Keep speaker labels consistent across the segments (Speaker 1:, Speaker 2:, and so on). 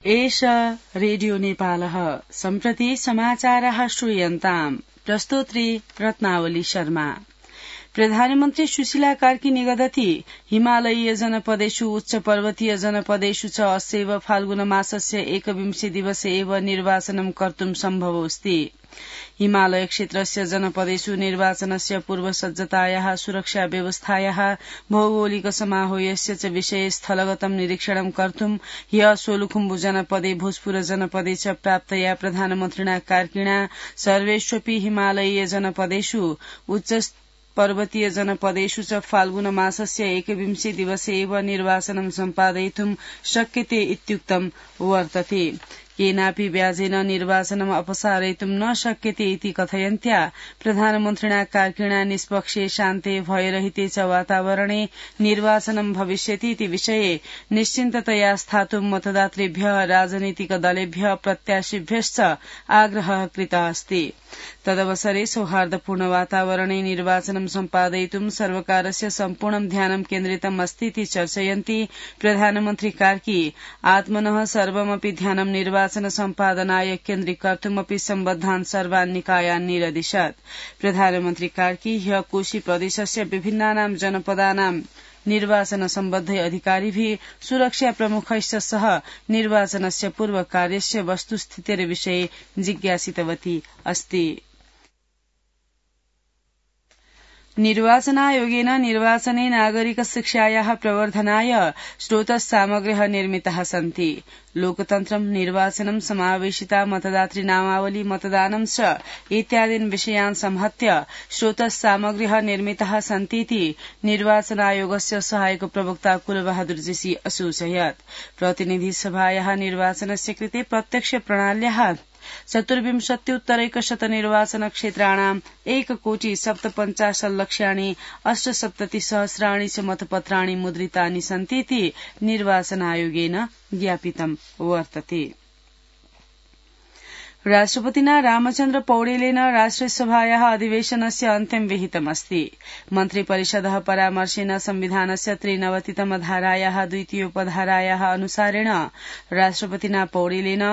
Speaker 1: एष रेडियो नेपालः सम्प्रति समाचारः श्रूयन्ताम्। प्रस्तोत्री रत्नावली शर्मा। प्रधानमन्त्री सुशीला कार्की निगदति हिमालयीय जनपदेषु उच्च पर्वतीय जनपदेषु च अस्यैव फाल्गुन मासस्य 21 दिवसे एव निर्वाचनं कर्तुं सम्भवोऽस्ति। हिमालय क्षेत्रस्य जनपदेषु निर्वाचनस्य पूर्वसज्जतायाः सुरक्षा व्यवस्थायाः भौगोलिक समाहोयस्य च विषये स्थलगतं निरीक्षणं कर्तुं ह्य सोलुखुम्बु जनपदे भोजपुर जनपदे च प्राप्तया प्रधानमन्त्रिणा कार्किणा सर्वेष्वपि हिमालयीय जनपदेषु उच्च पर्वतीय जनपदेषु च फाल्गुन मासस्य 21 दिवसे एव निर्वाचनं सम्पादयितुं शक्यते इत्युक्तं वर्तते। केनापि व्याजेन निर्वाचनम् अपसारयितुं न शक्यते इति कथयन्त्या प्रधानमन्त्रिणा कार्किणा निष्पक्षे शान्ते भयरहिते च वातावरणे निर्वाचनं भविष्यति इति विषये निश्चिन्ततया स्थातुं मतदातृभ्यः राजनीतिक दलेभ्यः प्रत्याशिभ्यश्च आग्रहः कृतः अस्ति। तदवसरे सौहार्दपूर्ण वातावरणे निर्वाचनं सम्पादयितुं सर्वकारस्य सम्पूर्णं ध्यानं केन्द्रितम् अस्ति इति चर्चयन्ती प्रधानमन्त्री कार्की आत्मनः सर्वमपि ध्यानं निर्वाचन सम्पादनाय केन्द्रीकर्तुमपि सम्बद्धान् सर्वान् निकायान् निरदिशत्। प्रधानमन्त्री कार्की ह्य कोशी प्रदेशस्य विभिन्नानां जनपदानां निर्वाचन सम्बद्धै अधिकारिभिः सुरक्षा प्रमुखैश्च सह निर्वाचनस्य पूर्व कार्यस्य वस्तुस्थितेर्विषये जिज्ञासितवती अस्ति। निर्वाचनायोगेन निर्वाचने नागरिक शिक्षायाः प्रवर्धनाय स्रोतस्सामग्र्यः निर्मिताः सन्ति। लोकतन्त्रं निर्वाचनं समावेशिता मतदातृनामावली मतदानं च इत्यादीन् विषयान् संहत्य स्रोतस्सामग्र्यः निर्मिताः सन्तीति निर्वाचनायोगस्य सहायक प्रवक्ता कुलबहादुर जेसी असूचयत्। प्रतिनिधि सभायाः निर्वाचनस्य कृते प्रत्यक्ष प्रणाल्याः 24,100 निर्वाचन क्षेत्राणां 1,57,50,00,000 च मतपत्राणि मुद्रितानि सन्तीति निर्वाचनायोगेन ज्ञापितं वर्तते। राष्ट्रपतिना रामचन्द्र पौडेलेन राष्ट्रियसभायाः अधिवेशनस्य अन्त्यं विहितमस्ति। मन्त्रिपरिषदः परामर्शेन संविधानस्य 93तम धारायाः 2उपधारायाः अनुसारेण राष्ट्रपतिना पौडेलेन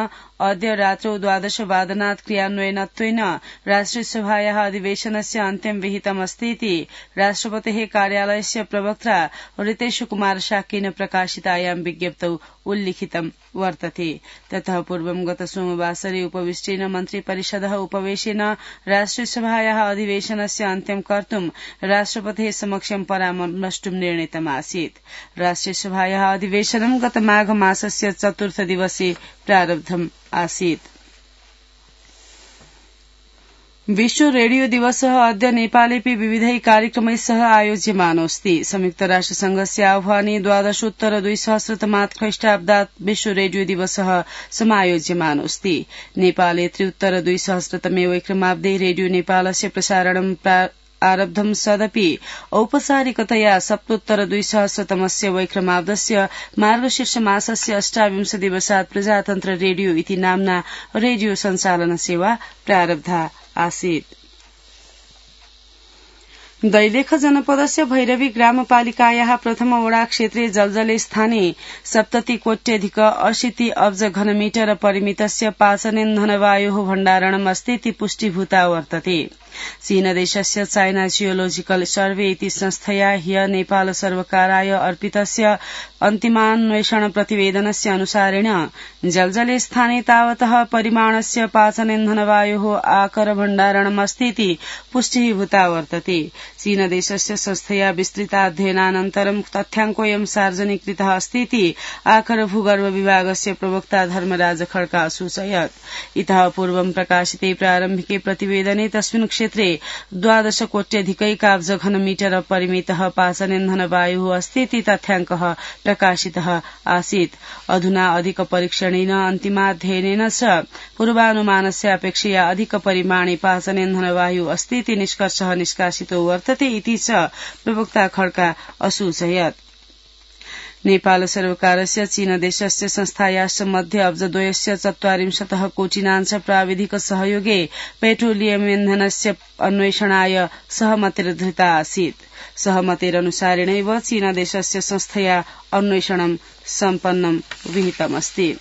Speaker 1: अद्य रात्रौ 12 वादनात् क्रियान्वयनत्वेन राष्ट्रियसभायाः अधिवेशनस्य अन्त्यं विहितमस्ति इति राष्ट्रपतेः कार्यालयस्य प्रवक्त्रा रितेश कुमार शाक्येन प्रकाशितायां विज्ञप्तौ उल्लिखितं वर्तते। ततः पूर्वं गत सोमवासरे उपविष्टेन मन्त्रिपरिषदः उपवेशेन राष्ट्रियसभायाः अधिवेशनस्य अन्त्यं कर्तुं राष्ट्रपतेः समक्षं परामर्ष्टुं निर्णीतमासीत्। राष्ट्रियसभायाः अधिवेशनं गत माघ मासस्य 4 दिवसे प्रारब्धम् आसीत्। विश्व रेडियो दिवसः अद्य नेपालेऽपि विविधैः कार्यक्रमैः सह आयोज्यमानोऽस्ति। संयुक्त राष्ट्रसंघस्य आह्वाने 12,200 ख्रीष्टाब्दात् विश्व रेडियो दिवसः समायोज्यमानोऽस्ति। नेपाले 3,200 वैक्रमाब्दे रेडियो नेपालस्य प्रसारणं आरब्धं सदपि औपचारिकतया 7,200 वैक्रमाब्दस्य मार्गशीर्ष मासस्य 28 दिवसात् प्रजातन्त्र रेडियो इति नाम्ना रेडियो सञ्चालन सेवा प्रारब्धा आसीत्। दैलेख जनपदस्य भैरवी ग्रामपालिकायाः प्रथम वडा क्षेत्रे जलजले स्थाने 70,80,80 अब्ज घनमीटर परिमितस्य पाचनेन्धनवायोः भण्डारणम् अस्ति इति पुष्टिभूता वर्तते। चीनदेशस्य चाइना जियोलोजिकल सर्वे इति संस्थया ह्य नेपाल सर्वकाराय अर्पितस्य अन्तिमान्वेषण प्रतिवेदनस्य अनुसारेण जलजले स्थाने तावतः परिमाणस्य पाचनेन्धनवायोः आकर भण्डारणमस्ति इति पुष्टिभूता वर्तते। चीनदेशस्य संस्थया विस्तृताध्ययनानन्तरं तथ्याङ्कोऽयं सार्वजनिकृतः अस्ति इति आकर भूगर्भ विभागस्य प्रवक्ता धर्मराज खड्का सूचयत्। इतः पूर्वं प्रकाशिते प्रारम्भिके प्रतिवेदने तस्मिन् क्षेत्रे 12,00,00,000 घनमीटर परिमितः पाचनेन्धनवायुः अस्ति इति तथ्याङ्कः प्रकाशितः आसीत्। अधुना अधिक परीक्षणेन अन्तिमाध्ययनेन च पूर्वानुमानस्य अपेक्षया अधिक परिमाणे पाचनेन्धनवायुः अस्ति इति निष्कर्षः निष्कासितो वर्तते इति च प्रवक्ता खड्का असूचयत्। नेपाल सर्वकारस्य चीनदेशस्य संस्थायाश्च मध्ये अब्जद्वयस्य 40 कोटिनाञ्च प्राविधिक सहयोगे पेट्रोलियमिन्धनस्य अन्वेषणाय सहमतिर्धृता आसीत्। सहमतेरनुसारेणैव चीनदेशस्य संस्थया अन्वेषणं सम्पन्नं विहितमस्ति।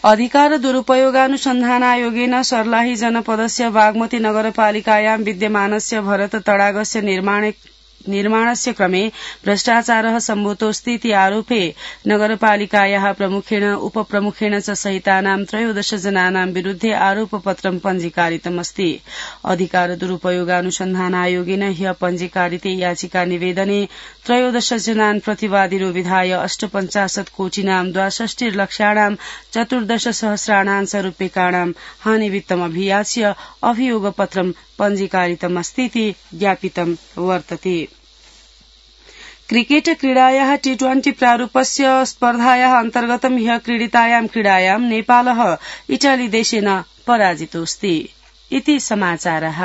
Speaker 1: अधिकार दुरुपयोगानुसन्धानायोगेन सर्लाही जनपदस्य बागमती नगरपालिकायां विद्यमानस्य भरत तडागस्य निर्माणस्य क्रमे भ्रष्टाचारः सम्भूतोऽस्ति इति आरोपे नगरपालिकायाः प्रमुखेण उपप्रमुखेण च सहितानां 13 जनानां विरुद्धे आरोपपत्रं पञ्जीकारितमस्ति। अधिकार दुरुपयोगानुसन्धानायोगेन ह्य पञ्जीकारिते याचिका निवेदने 13 जनान् प्रतिवादिनो विधाय 48 कोटिनां 62 लक्षाणां 14 सहस्राणां च रूप्यकाणां हानिवित्तमभियाच्य अभियोगपत्रं पञ्जीकारितमस्तीति ज्ञापितं वर्तते। क्रिकेट क्रीडायाः T20 प्रारूपस्य स्पर्धायाः अन्तर्गतं ह्यः क्रीडितायां क्रीडायां नेपालः इटाली देशेन पराजितोऽस्ति। इति समाचारः।